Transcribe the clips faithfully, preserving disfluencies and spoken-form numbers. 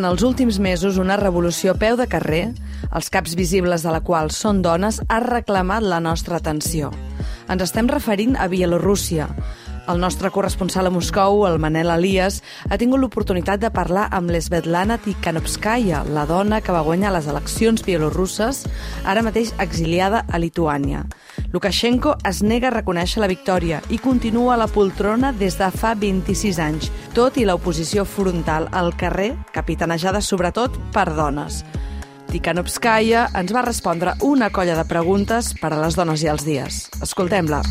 durant els últims mesos una revolució a peu de carrer, els caps visibles de la qual són dones, ha reclamat la nostra atenció. Ens estem referint a Bielorússia. El nostre corresponsal a Moscou, el Manel Elias, ha tingut l'oportunitat de parlar amb l'Svetlana Tikhanovskaya, la dona que va guanyar les eleccions bielorusses, ara mateix exiliada a Lituània. Lukashenko es nega a reconèixer la victòria i continua a la poltrona des de fa vint-i-sis anys, tot i l'oposició frontal al carrer, capitanejada sobretot per dones. Tikhanovskaya ens va respondre una colla de preguntes per a les dones i els dies. Escoltem-la.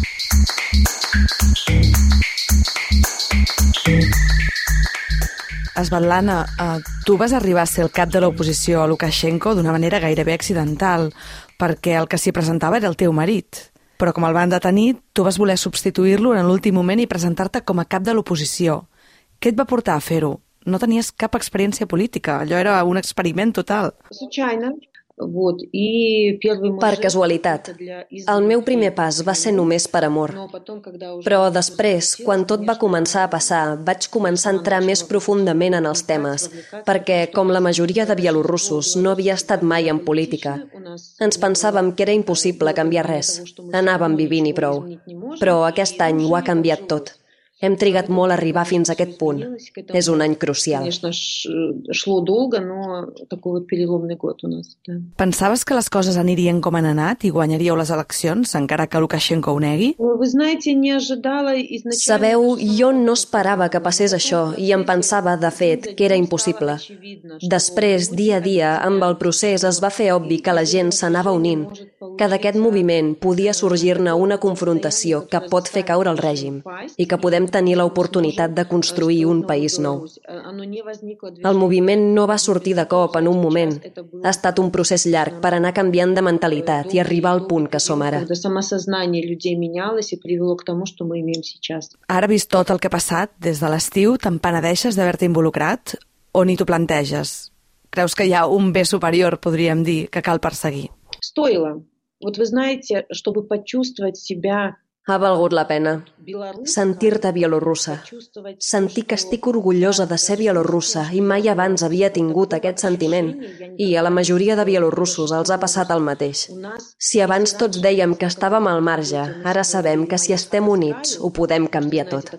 Svetlana, eh, tu vas arribar a ser el cap de l'oposició a Lukashenko d'una manera gairebé accidental, perquè el que s'hi presentava era el teu marit. Però com el van detenir, tu vas voler substituir-lo en l'últim moment i presentar-te com a cap de l'oposició. Què et va portar a fer-ho? No tenies cap experiència política, allò era un experiment total. Per casualitat. El meu primer pas va ser només per amor. Però després, quan tot va començar a passar, vaig començar a entrar més profundament en els temes, perquè, com la majoria de bielorussos, no havia estat mai en política. Ens pensàvem que era impossible canviar res. Anàvem vivint i prou. Però aquest any ho ha canviat tot. Hem trigat molt a arribar fins a aquest punt. És un any crucial. Pensaves que les coses anirien com han anat i guanyaríeu les eleccions, encara que Lukashenko ho negui? Sabeu, jo no esperava que passés això i em pensava, de fet, que era impossible. Després, dia a dia, amb el procés es va fer obvi que la gent s'anava unint, que d'aquest moviment podia sorgir-ne una confrontació que pot fer caure el règim i que podem tenir l'oportunitat de construir un país nou. El moviment no va sortir de cop en un moment. Ha estat un procés llarg per anar canviant de mentalitat i arribar al punt que som ara. Ara, vist tot el que ha passat, des de l'estiu, te'n penedeixes d'haver-te involucrat o ni t'ho planteges? Creus que hi ha un bé superior, podríem dir, que cal perseguir? Ha valgut la pena. Sentir-te bielorussa. Sentir que estic orgullosa de ser bielorussa i mai abans havia tingut aquest sentiment. I a la majoria de bielorussos els ha passat el mateix. Si abans tots dèiem que estàvem al marge, ara sabem que si estem units ho podem canviar tot.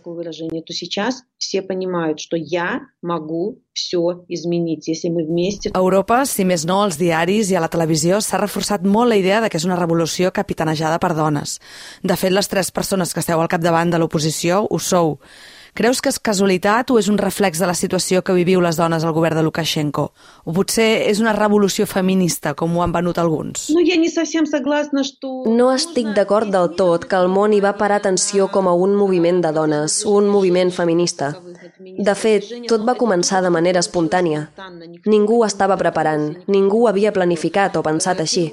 A Europa, si més no, als diaris i a la televisió s'ha reforçat molt la idea de que és una revolució capitanejada per dones. De fet, les tres persones que esteu al capdavant de l'oposició ho sou. Creus que és casualitat o és un reflex de la situació que viviu les dones al govern de Lukashenko? O potser és una revolució feminista, com ho han venut alguns? No estic d'acord del tot que el món hi va parar atenció com a un moviment de dones, un moviment feminista. De fet, tot va començar de manera espontània. Ningú ho estava preparant, ningú ho havia planificat o pensat així.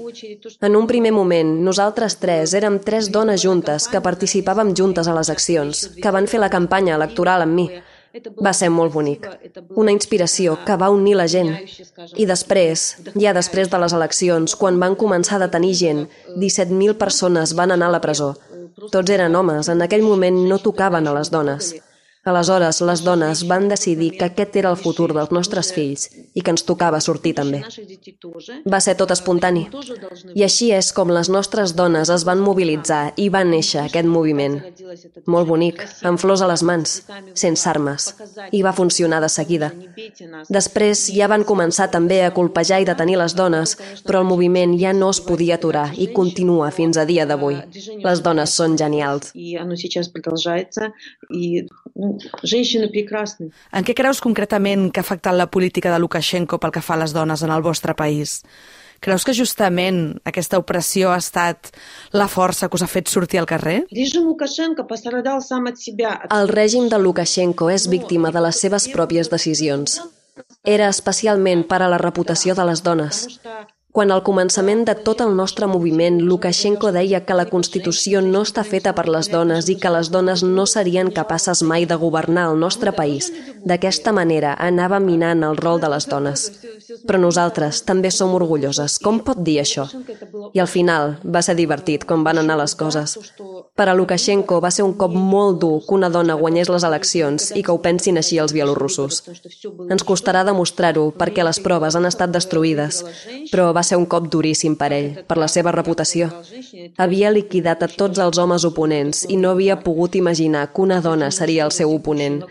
En un primer moment, nosaltres tres érem tres dones juntes que participàvem juntes a les accions, que van fer la campanya electoral amb mi. Va ser molt bonic. Una inspiració que va unir la gent. I després, ja després de les eleccions, quan van començar a detenir gent, disset mil persones van anar a la presó. Tots eren homes, en aquell moment no tocaven a les dones. Aleshores, les dones van decidir que aquest era el futur dels nostres fills i que ens tocava sortir també. Va ser tot espontani. I així és com les nostres dones es van mobilitzar i va néixer aquest moviment. Molt bonic, amb flors a les mans, sense armes. I va funcionar de seguida. Després ja van començar també a colpejar i detenir les dones, però el moviment ja no es podia aturar i continua fins a dia d'avui. Les dones són genials. En què creus concretament que ha afectat la política de Lukashenko pel que fa a les dones en el vostre país? Creus que justament aquesta opressió ha estat la força que us ha fet sortir al carrer? El règim de Lukashenko és víctima de les seves pròpies decisions. Era especialment per a la reputació de les dones. Quan al començament de tot el nostre moviment Lukashenko deia que la Constitució no està feta per les dones i que les dones no serien capaces mai de governar el nostre país, d'aquesta manera anava minant el rol de les dones. Però nosaltres també som orgulloses. Com pot dir això? I al final va ser divertit com van anar les coses. Per a Lukashenko va ser un cop molt dur que una dona guanyés les eleccions i que ho pensin així els bielorussos. Ens costarà demostrar-ho perquè les proves han estat destruïdes, però va ser un cop duríssim per ell, per la seva reputació. Havia liquidat a tots els homes oponents i no havia pogut imaginar que una dona seria el seu oponent.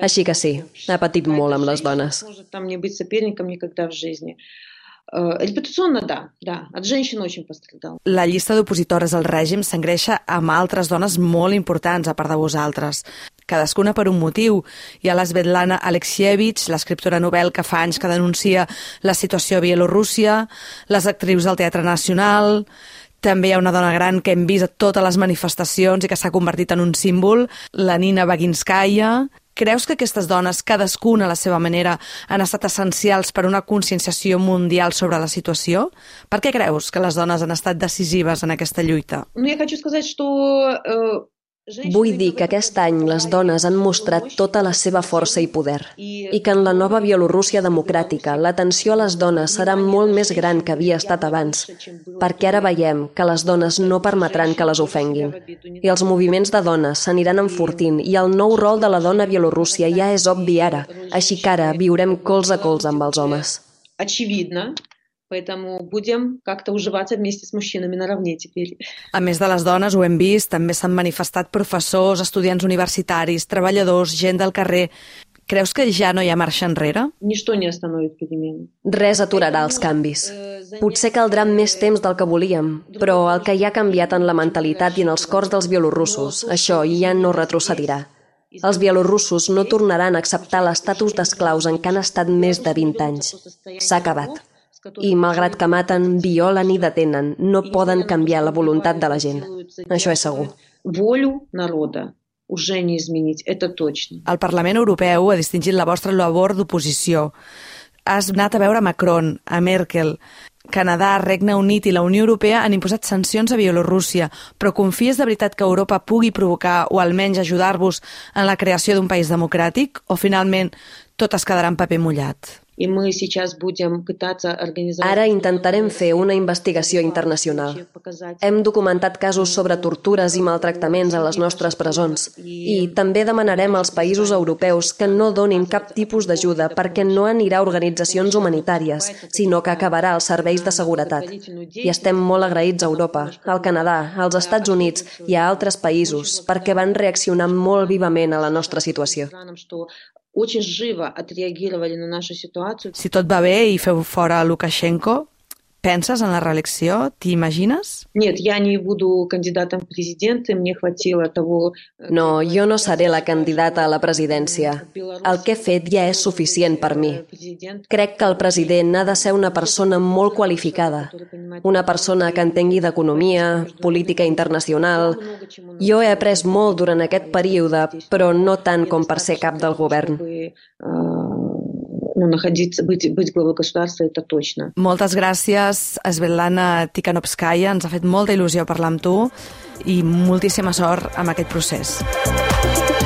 Així que sí, ha patit molt amb les dones. Репутационно, да, да, от женщин очень пострадал. La llista d'opositores al règim s'engreixa amb altres dones molt importants, a part de vosaltres. Cadascuna per un motiu. Hi ha la Svetlana Alexievich, l'escriptora novel que fa anys que denuncia la situació a Bielorússia, les actrius del Teatre Nacional. També hi ha una dona gran que hem vist a totes les manifestacions i que s'ha convertit en un símbol, la Nina Baginskaya. Creus que aquestes dones, cadascuna a la seva manera, han estat essencials per una conscienciació mundial sobre la situació? Per què creus que les dones han estat decisives en aquesta lluita? Я хочу сказать, что Vull dir que aquest any les dones han mostrat tota la seva força i poder i que en la nova Bielorússia democràtica l'atenció a les dones serà molt més gran que havia estat abans, perquè ara veiem que les dones no permetran que les ofenguin. I els moviments de dones s'aniran enfortint i el nou rol de la dona a Bielorússia ja és obvi ara, així que ara viurem colze a colze amb els homes. Очевидно. Поэтому будем как-то уживаться вместе с мужчинами наравне теперь. A més de les dones, ho hem vist, també s'han manifestat professors, estudiants universitaris, treballadors, gent del carrer. Creus que ja no hi ha marxa enrere? Ничто не остановит перемены. Res aturarà els canvis. Potser caldrà més temps del que volíem, però el que ja ha canviat en la mentalitat i en els cors dels bielorussos, això ja no retrocedirà. Els bielorussos no tornaran a acceptar l'estatus d'esclaus en què han estat més de vint anys. S'ha acabat. I, malgrat que maten, violen i detenen, no poden canviar la voluntat de la gent. Això és segur. Волю народа уже не изменить, это точно. El Parlament Europeu ha distingit la vostra labor d'oposició. Has anat a veure Macron, a Merkel. Canadà, Regne Unit i la Unió Europea han imposat sancions a Bielorússia, però confies de veritat que Europa pugui provocar o almenys ajudar-vos en la creació d'un país democràtic o finalment tot es quedarà en paper mullat? Ara intentarem fer una investigació internacional. Hem documentat casos sobre tortures i maltractaments a les nostres presons i també demanarem als països europeus que no donin cap tipus d'ajuda perquè no anirà a organitzacions humanitàries, sinó que acabarà als serveis de seguretat. I estem molt agraïts a Europa, al Canadà, als Estats Units i a altres països perquè van reaccionar molt vivament a la nostra situació. Очень живо отреагировали на нашу ситуацию. Si tot va bé i feu fora Lukashenko, penses en la reelecció? T'hi imagines? Нет, я не буду кандидатом в президенты, мне хватило того... No, jo no seré la candidata a la presidència. El que he fet ja és suficient per mi. Crec que el president ha de ser una persona molt qualificada, una persona que entengui d'economia, política internacional. Jo he après molt durant aquest període, però no tant com per ser cap del govern. Ну, находиться, быть, быть главой государства, это точно. Moltes gràcies, Svetlana Tikhanovskaya. Ens ha fet molta il·lusió parlar amb tu i moltíssima sort amb aquest procés.